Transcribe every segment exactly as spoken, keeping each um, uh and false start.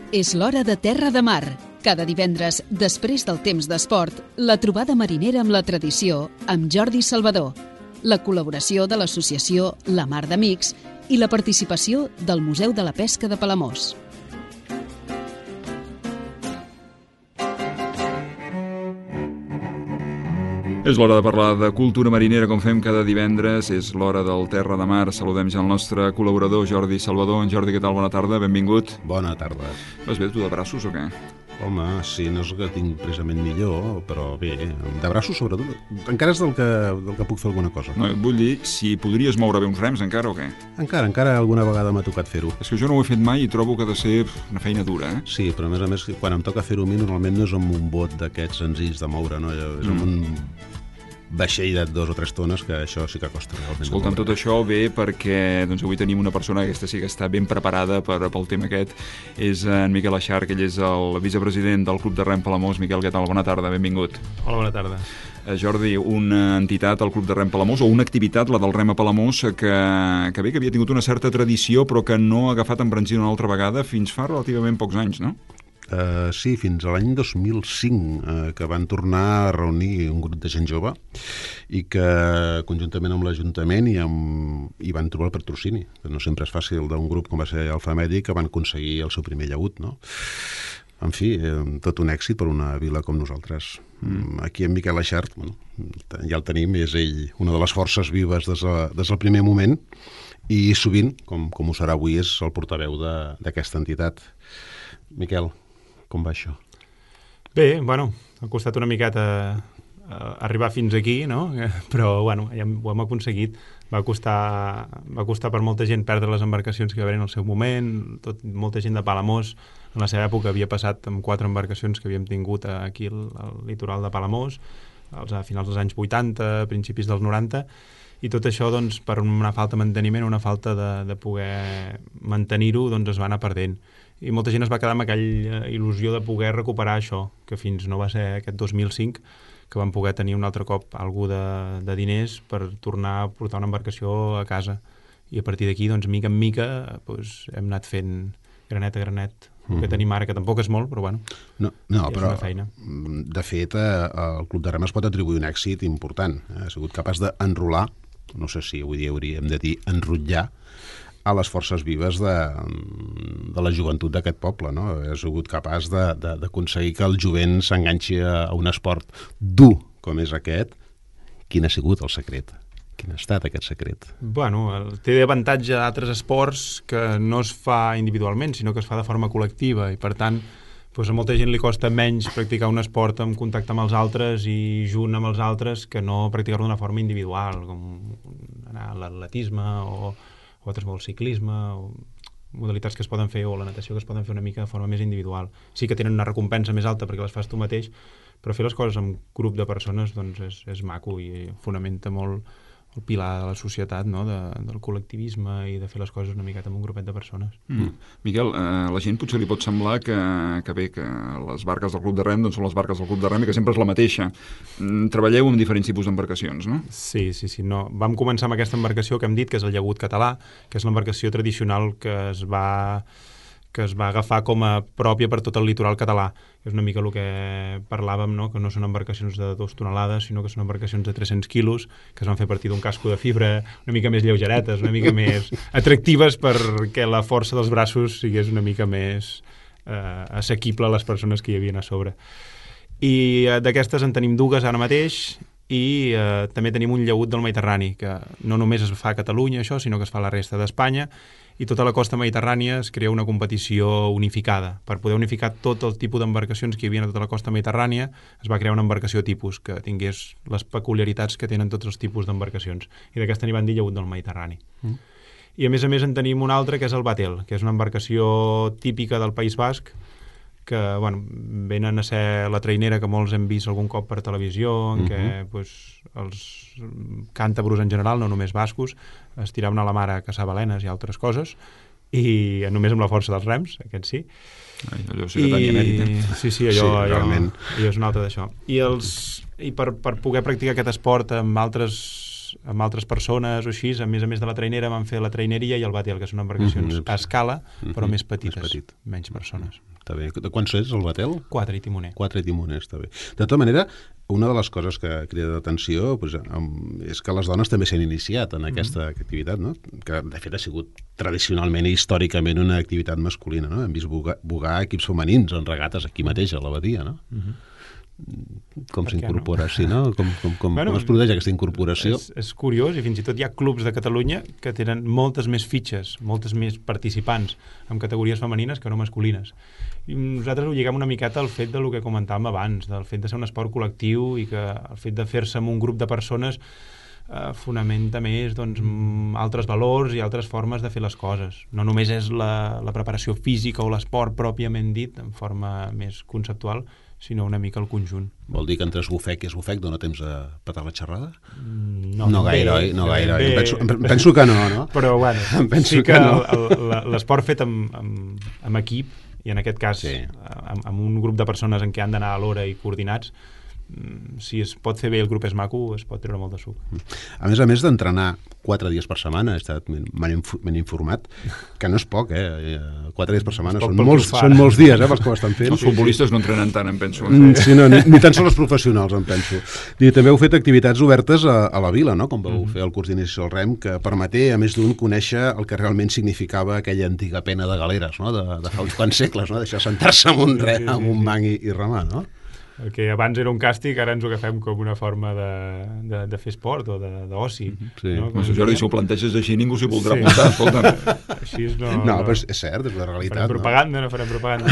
És l'hora de Terra de Mar. Cada divendres, després del temps d'esport, la trobada marinera amb la tradició amb Jordi Salvador, la col·laboració de l'associació La Mar d'Amics i la participació del Museu de la Pesca de Palamós. És l'hora de parlar de cultura marinera, com fem cada divendres. És l'hora del Terra de Mar. Saludem ja el nostre col·laborador, Jordi Salvador. En Jordi, què tal? Bona tarda, benvingut. Bona tarda. Vas bé, tu de braços o què? Home, sí, no és el que tinc precisament millor, però bé, de braços sobretot. Encara és del que, del que puc fer alguna cosa. No, et vull dir, si podries moure bé uns rems encara o què? Encara, encara alguna vegada m'ha tocat fer-ho. És que jo no ho he fet mai i trobo que ha de ser una feina dura, eh? Sí, però a més a més, quan em toca fer-ho a mi, normalment no és amb un bot d'aquests senzills de moure, no? És amb mm. un vaixell de dos o tres tones, que això sí que costa realment. Escolta'm, tot això ve perquè doncs, avui tenim una persona que aquesta sí que està ben preparada per, pel tema aquest. És en Miquel Aixarc, ell és el vicepresident del Club de Rem Palamós. Miquel, què tal? Bona tarda, benvingut. Hola, bona tarda. Eh, Jordi, una entitat, el Club de Rem Palamós, o una activitat, la del Rem a Palamós, que, que bé, que havia tingut una certa tradició, però que no ha agafat embranzida una altra vegada fins fa relativament pocs anys, no? Uh, sí, fins a l'any dos mil cinc, uh, que van tornar a reunir un grup de gent jove i que conjuntament amb l'Ajuntament i, amb, i van trobar el patrocini, que no sempre és fàcil, d'un grup com va ser Alfa Mèdic, que van aconseguir el seu primer llaüt, no? En fi, eh, tot un èxit per una vila com nosaltres. Mm. Aquí en Miquel Aixarc, bueno, ja el tenim, és ell una de les forces vives des, de, des del primer moment i sovint, com, com ho serà avui, és el portaveu d'aquesta entitat. Miquel, com va això? Bé, bueno, ha costat una miqueta uh, arribar fins aquí, no? Però, bueno, ja ho hem aconseguit. Va costar, va costar per molta gent perdre les embarcacions que hi va haver en el seu moment. Tot, molta gent de Palamós, en la seva època, havia passat amb quatre embarcacions que havíem tingut aquí al, al litoral de Palamós, als, a finals dels anys vuitanta, principis dels noranta, i tot això, doncs, per una falta de manteniment, una falta de, de poder mantenir-ho, doncs es va anar perdent. I molta gent es va quedar amb aquella il·lusió de poder recuperar això, que fins no va ser aquest dos mil cinc, que vam poder tenir un altre cop algú de, de diners per tornar a portar una embarcació a casa. I a partir d'aquí, doncs, mica en mica, doncs, hem anat fent granet a granet, el mm. que tenim ara, que tampoc és molt, però bueno, no, no, és però, una feina. De fet, el Club de Rem es pot atribuir un èxit important. Ha sigut capaç d'enrolar, no sé si avui dia hauríem de dir enrotllar, a les forces vives de, de la joventut d'aquest poble, no? Ha sigut capaç d'aconseguir que el jovent s'enganxi a un esport dur com és aquest. Quin ha sigut el secret? Quin ha estat aquest secret? Bueno, té avantatge a altres esports que no es fa individualment, sinó que es fa de forma col·lectiva, i per tant, doncs a molta gent li costa menys practicar un esport en contacte amb els altres i junt amb els altres que no practicar-lo d'una forma individual, com anar a l'atletisme o o altres molt ciclisme, o modalitats que es poden fer, o la natació que es poden fer una mica de forma més individual. Sí que tenen una recompensa més alta perquè les fas tu mateix, però fer les coses amb grup de persones doncs és, és maco i fonamenta molt el pilar de la societat, no? de, del col·lectivisme i de fer les coses una miqueta amb un grupet de persones. Mm. Miquel, eh, la gent potser li pot semblar que, que bé, que les barques del Club de Rem doncs són les barques del Club de Rem i que sempre és la mateixa. Mm, treballeu amb diferents tipus d'embarcacions, no? Sí, sí, sí. No. Vam començar amb aquesta embarcació que hem dit, que és el llaüt català, que és l'embarcació tradicional que es va que es va agafar com a pròpia per tot el litoral català. És una mica el que parlàvem, no? Que no són embarcacions de dos tonelades, sinó que són embarcacions de tres-cents quilos, que es van fer a partir d'un casco de fibra, una mica més lleugeretes, una mica més atractives perquè la força dels braços sigués una mica més eh, assequible a les persones que hi havia a sobre. I eh, d'aquestes en tenim dues ara mateix, i eh, també tenim un llaüt del Mediterrani, que no només es fa a Catalunya, això, sinó que es fa a la resta d'Espanya, i tota la costa mediterrània es crea una competició unificada. Per poder unificar tot el tipus d'embarcacions que hi havia a tota la costa mediterrània, es va crear una embarcació tipus que tingués les peculiaritats que tenen tots els tipus d'embarcacions. I d'aquesta n'hi van dir llaüt del Mediterrani. Mm. I a més a més en tenim un altre, que és el Batel, que és una embarcació típica del País Basc, que bueno, venen a ser la trainera que molts hem vist algun cop per televisió, en què uh-huh. pues, els càntabros en general, no només bascos, es tiraven a la mar a caçar balenes i altres coses, i només amb la força dels rems, aquest sí. Ai, allò sí que tenia mèrit, eh? Sí, sí, allò, sí, allò, allò és un altre d'això. I, els, i per, per poder practicar aquest esport amb altres amb altres persones o així, a més a més de la trainera van fer la traineria i el batel, que són embarcacions mm-hmm. a escala, mm-hmm. però més petites, més petit. menys persones. Està bé. De quants és el batel? Quatre i timoner. Quatre i timoner, està bé. De tota manera, una de les coses que crida d'atenció pues, és que les dones també s'han iniciat en aquesta mm. activitat, no? Que de fet ha sigut tradicionalment i històricament una activitat masculina, no? Hem vist bugar, bugar equips femenins en regates aquí mateix, a l'abadia, no? Mm-hmm. Com s'incorpora, no? Sí, no? Com, com, com, bueno, com es produeix aquesta incorporació? És, és curiós, i fins i tot hi ha clubs de Catalunya que tenen moltes més fitxes, moltes més participants en categories femenines que no masculines. I nosaltres ho lliguem una miqueta al fet del que comentàvem abans, del fet de ser un esport col·lectiu i que el fet de fer-se amb un grup de persones eh, fonamenta més doncs, altres valors i altres formes de fer les coses. No només és la, la preparació física o l'esport pròpiament dit, en forma més conceptual, sinó una mica el conjunt. Vol dir que entre esbufec i esbufec dona temps a petar la xerrada? No, no gaire, oi? No gaire, oi? Em penso, em penso que no, no? Però, bueno, sí que, que no. L'esport fet amb, amb, amb equip, i en aquest cas sí. amb, amb un grup de persones en què han d'anar a l'hora i coordinats, si es pot fer bé, el grup és maco, es pot treure molt de suc. A més a més d'entrenar quatre dies per setmana, m'han informat, que no és poc, eh? Quatre dies per setmana són molts, són molts dies, eh, pels que ho estan fent. Els futbolistes no entrenen tant, em penso. Mm, sí, no, ni, ni tan sols els professionals, em penso. I també heu fet activitats obertes a, a la vila, no? Com vau mm-hmm. fer el curs d'inici al rem, que permeté, a més d'un, conèixer el que realment significava aquella antiga pena de galeres, no? De, de fa uns quants segles, no? Deixar sentar-se amb un, re, amb un banc i, i remar, no? El que abans era un càstig, ara ens ho agafem com una forma de, de, de fer esport o d'oci. Sí. No? Com si, Jordi, si ho planteges així, ningú s'hi voldrà sí. apuntar, escolta'm. Així és no... No, però és, és cert, és la realitat. Farem propaganda, no, no farem propaganda.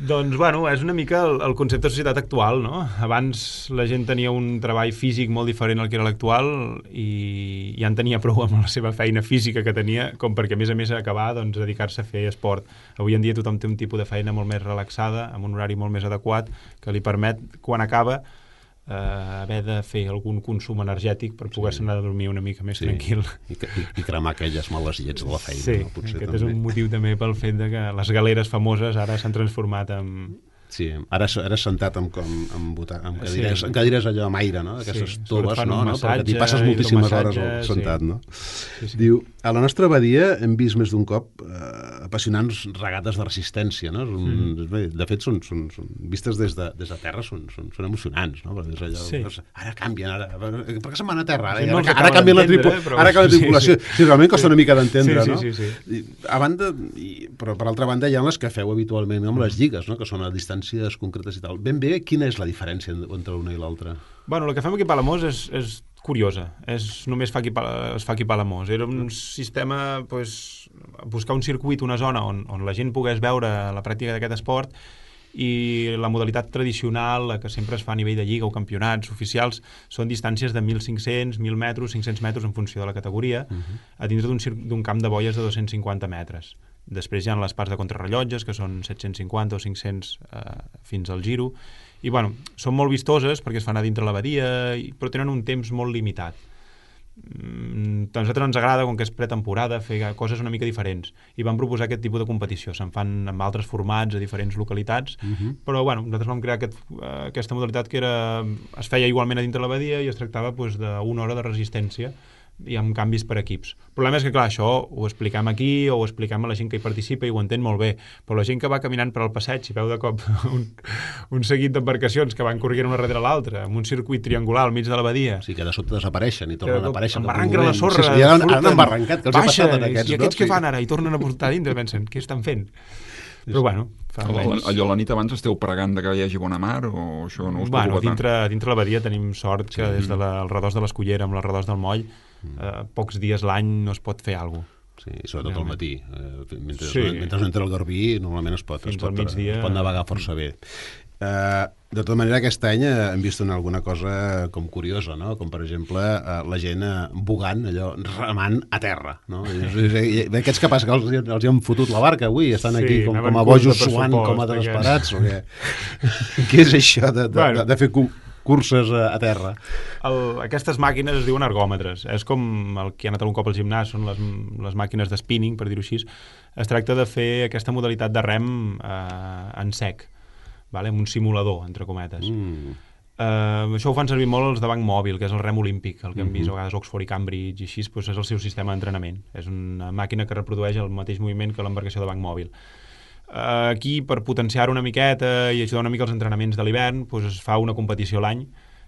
Doncs, bueno, és una mica el, el concepte de societat actual, no? Abans la gent tenia un treball físic molt diferent al que era l'actual i ja en tenia prou amb la seva feina física que tenia, com perquè, a més a més, acabar doncs, dedicar-se a fer esport. Avui en dia tothom té un tipus de feina molt més relaxada, amb un horari molt més adequat, que li permet, quan acaba, eh, haver de fer algun consum energètic per poder-se anar a dormir una mica més sí. tranquil. I, i, I cremar aquelles males llets de la feina. Sí, no? Potser aquest també. És un motiu també pel fet de que les galeres famoses ara s'han transformat en... Sí, ara, ara sentat amb, com, amb, botar, amb, cadires, sí. amb cadires allò amb aire, no? Aquestes sí, toves, no? no? Perquè t'hi passes moltíssimes hores sentat, sí. no? Sí, sí. Diu, a la nostra abadia hem vist més d'un cop eh, apassionants regates de resistència, no? Mm. De fet, són, són, són vistes des de, des de terra, són, són, són emocionants, no? Perquè és allò, sí. doncs, ara canvien, ara, per què se'n van a terra? Ara, sí, ara, ara, ara canvia la, tripu, però... ara canvia la tripulació. Sí, sí. sí, realment costa una mica d'entendre, sí, no? Sí, sí, sí. I, a banda, i, però per altra banda hi ha les que feu habitualment amb les lligues, no? Que són a distàncies concretes i tal. Ben bé, quina és la diferència entre una i l'altra? Bueno, el que fem aquí a Palamós és, és curiosa. És, només fa aquí, es fa aquí a Palamós. Era un sistema, pues, buscar un circuit, una zona on, on la gent pogués veure la pràctica d'aquest esport i la modalitat tradicional, la que sempre es fa a nivell de lliga o campionats oficials, són distàncies de mil cinc-cents, mil metres, cinc-cents metres en funció de la categoria, uh-huh. a dintre d'un camp de boies de dos-cents cinquanta metres. Després hi ha les parts de contrarrellotges, que són set-cents cinquanta o cinc-cents eh, fins al giro. I, bueno, són molt vistoses perquè es fan a dintre l'abadia, però tenen un temps molt limitat. Mm, a nosaltres ens agrada, com que és pretemporada, fer coses una mica diferents. I vam proposar aquest tipus de competició. Se'n fan amb altres formats a diferents localitats, uh-huh. però, bueno, nosaltres vam crear aquest, eh, aquesta modalitat que era, es feia igualment a dintre l'abadia i es tractava pues, d'una hora de resistència i amb canvis per equips. El problema és que, clar, això ho expliquem aquí o ho expliquem a la gent que hi participa i ho entén molt bé, però la gent que va caminant per al passeig i veu de cop un, un seguit d'embarcacions que van corrent una darrere l'altra, amb un circuit triangular al mig de l'abadia. Sí, que de sobte desapareixen i tornen a aparèixer. Embarranquen la sorra, sí, sí, ja han, han embarrancat, que els baixa, ha passat en aquests, i aquests no? què fan ara? I tornen a portar dintre, pensen, què estan fent? Però, bueno... Allò, allò la nit abans esteu pregant de que hi hagi bona mar o això no us bueno, preocupa tant? Dintre, dintre l'abadia tenim sort que sí. des de la, al redós de l'Escullera amb les redós del Moll eh, pocs dies l'any no es pot fer alguna cosa. Sí, i sobretot al matí. Eh, mentre, sí. mentre no entra el Garbí, normalment es pot, es pot, migdia... es pot navegar força bé. Eh, de tota manera, aquest any hem vist una, alguna cosa com curiosa, no? Com, per exemple, eh, la gent eh, bugant, allò, remant a terra, no? I, i, aquests que passa que els, els hi han fotut la barca avui, estan sí, aquí com, com a bojos suant, com a desesperats, o què? Què és això de, de, bueno. de, de fer curses a, a terra? El, aquestes màquines es diuen ergòmetres. És com el que ha anat algun cop al gimnàs, són les, les màquines de spinning, per dir-ho així. Es tracta de fer aquesta modalitat de rem eh, en sec, vale? Amb un simulador, entre cometes. Mm. Uh, això ho fan servir molt els de banc mòbil, que és el rem olímpic, el que hem vist a vegades Oxford i Cambridge i així, doncs és el seu sistema d'entrenament. És una màquina que reprodueix el mateix moviment que l'embarcació de banc mòbil. Aquí, per potenciar una miqueta i ajudar una mica els entrenaments de l'hivern, doncs es fa una competició a l'any,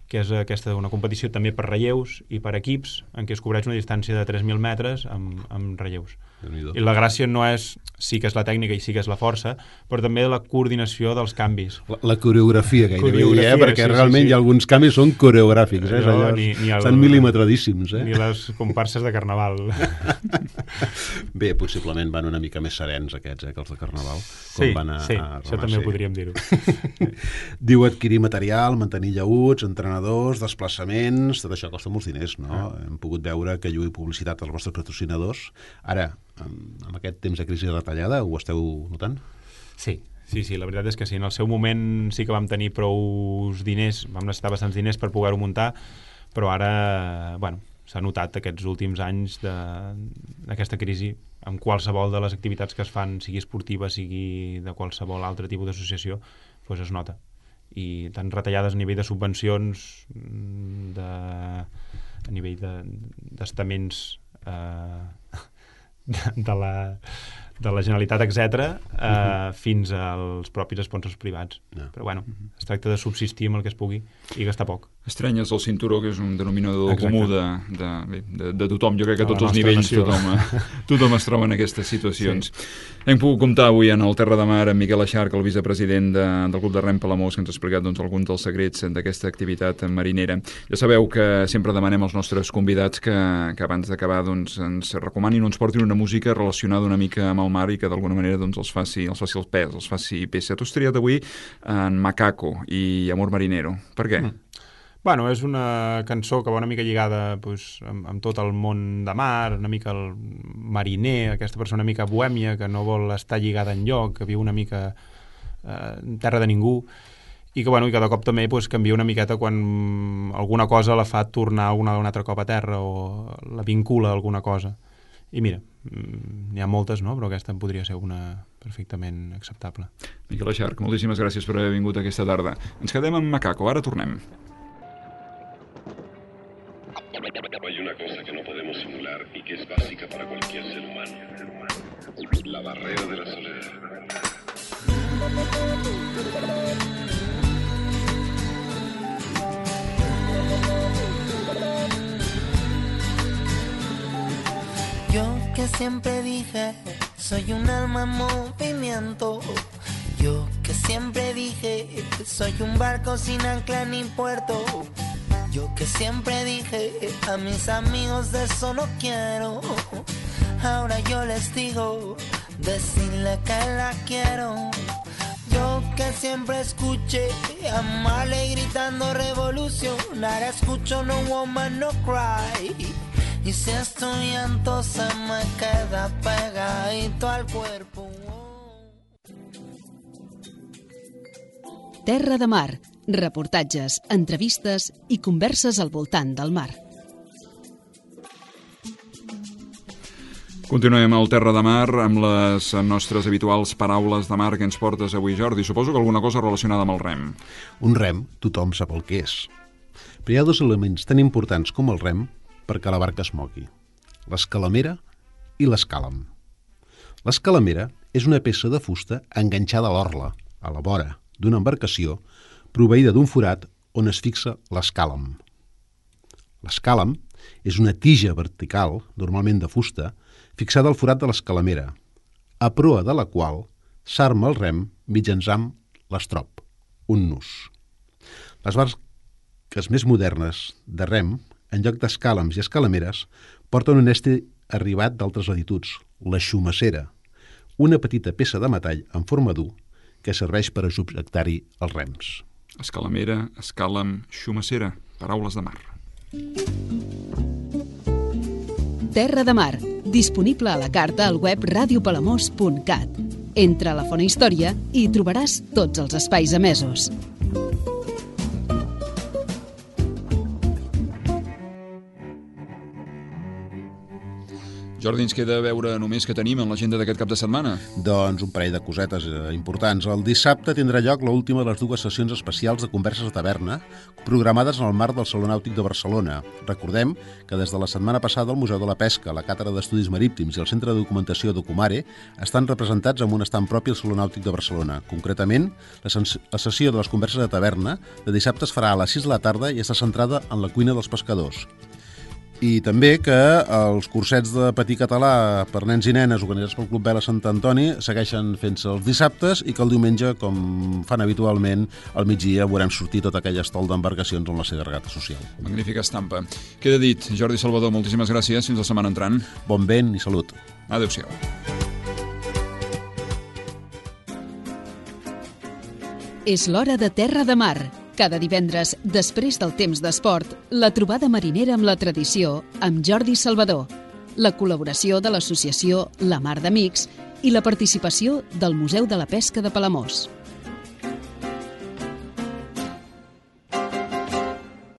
que és aquesta, una competició també per relleus i per equips, en què es cobreix una distància de tres mil metres amb, amb relleus. I la gràcia no és, sí que és la tècnica i sí que és la força, però també la coordinació dels canvis. La, la coreografia, gairebé, coreografia, eh? Perquè sí, realment sí, sí. hi ha alguns canvis són coreogràfics, eh? No, ni, ni el, estan milimetradíssims. Eh? Ni les comparses de Carnaval. Bé, possiblement van una mica més serens aquests, eh, que els de Carnaval. Sí, van a, sí, a això també ho podríem dir-ho. Diu adquirir material, mantenir lleuts, entrenadors, desplaçaments, tot això costa molts diners, no? Ah. Hem pogut veure que lluïu publicitat als vostres patrocinadors. Ara, amb, amb aquest temps de crisi retallada, ho esteu notant? Sí, sí, sí, la veritat és que sí. En el seu moment sí que vam tenir prou diners, vam necessitar bastants diners per poder-ho muntar, però ara, bueno, s'ha notat aquests últims anys d'aquesta crisi amb qualsevol de les activitats que es fan, sigui esportiva, sigui de qualsevol altre tipus d'associació, doncs es nota. I tant retallades a nivell de subvencions, de, a nivell d'estaments eh, de, de, la, de la Generalitat, etcètera, eh, uh-huh. fins als propis sponsors privats. No. Però bueno, uh-huh. es tracta de subsistir amb el que es pugui i gastar poc. Estrenyes el cinturó, que és un denominador Exacte. comú de, de, de, de tothom. Jo crec que a tots els nivells tothom, tothom es troba en aquestes situacions. Sí. Hem pogut comptar avui en el Terra de Mar amb Miquel Aixarc, el vicepresident de, del Club de Rem Palamós, que ens ha explicat doncs, alguns dels secrets d'aquesta activitat marinera. Ja sabeu que sempre demanem als nostres convidats que, que abans d'acabar doncs, ens recomanin o ens portin una música relacionada una mica amb el mar i que d'alguna manera doncs, els faci els faci el pes, els faci peça. Tu has triat avui en Macaco i Amor Marinero. Per què? Mm. Bueno, és una cançó que va una mica lligada pues, amb, amb tot el món de mar, una mica el mariner, aquesta persona una mica bohèmia que no vol estar lligada enlloc, que viu una mica eh, en terra de ningú i que, bueno, i cada cop també pues, canvia una miqueta quan alguna cosa la fa tornar una, un altre cop a terra o la vincula a alguna cosa. I mira, n'hi ha moltes, no? Però aquesta en podria ser una perfectament acceptable. Miquel Aixarc, moltíssimes gràcies per haver vingut aquesta tarda. Ens quedem amb Macaco, ara tornem. Hay una cosa que no podemos simular y que es básica para cualquier ser humano. La barrera de la soledad. Yo que siempre dije, soy un alma en movimiento. Yo que siempre dije, soy un barco sin ancla ni puerto. Yo que siempre dije, a mis amigos de eso no quiero. Ahora yo les digo, decirle que la quiero. Yo que siempre escuché a Marley gritando revolución. Ahora escucho no woman, no cry. Y si estoy llanto se me queda pegadito al cuerpo. Terra de Mar. Reportatges, entrevistes i converses al voltant del mar. Continuem al Terra de Mar amb les nostres habituals paraules de mar que ens portes avui, Jordi. Suposo que alguna cosa relacionada amb el rem. Un rem, tothom sap el que és. Però hi ha dos elements tan importants com el rem perquè la barca es mogui. L'escalamera i l'escàlam. L'escalamera és una peça de fusta enganxada a l'orla, a la vora d'una embarcació, proveïda d'un forat on es fixa l'escàlam. L'escàlam és una tija vertical, normalment de fusta, fixada al forat de l'escalamera, a proa de la qual s'arma el rem mitjançant l'estrop, un nus. Les barques més modernes de rem, en lloc d'escàlams i escalameres, porten un estri arribat d'altres latituds, la xumassera, una petita peça de metall en forma d'U que serveix per a subjectar-hi els rems. Escalamera, escàlam, xumassera, paraules de mar. Terra de Mar, disponible a la carta al web radio palamós punt cat. Entra a la Fona Història i trobaràs tots els espais emesos. Jordi, ens queda veure només què tenim en l'agenda d'aquest cap de setmana. Doncs un parell de cosetes importants. El dissabte tindrà lloc l'última de les dues sessions especials de Converses a Taverna, programades en el marc del Saló Nàutic de Barcelona. Recordem que des de la setmana passada el Museu de la Pesca, la Càtedra d'Estudis Marítims i el Centre de Documentació Documare estan representats amb un estand propi al Saló Nàutic de Barcelona. Concretament, la, la sessió de les Converses a Taverna de dissabte es farà a les sis de la tarda i està centrada en la cuina dels pescadors. I també que els cursets de patí català per nens i nenes organitzats pel Club Vela Sant Antoni segueixen fent-se els dissabtes i que el diumenge, com fan habitualment, al migdia veurem sortir tot aquell estol d'embarcacions on la seva regata social. Magnífica estampa. Queda dit. Jordi Salvador, moltíssimes gràcies. Fins la setmana entrant. Bon vent i salut. Adéu-siau. És l'hora de Terra de Mar. Cada divendres, després del temps d'esport, la trobada marinera amb la tradició amb Jordi Salvador, la col·laboració de l'associació La Mar d'Amics i la participació del Museu de la Pesca de Palamós.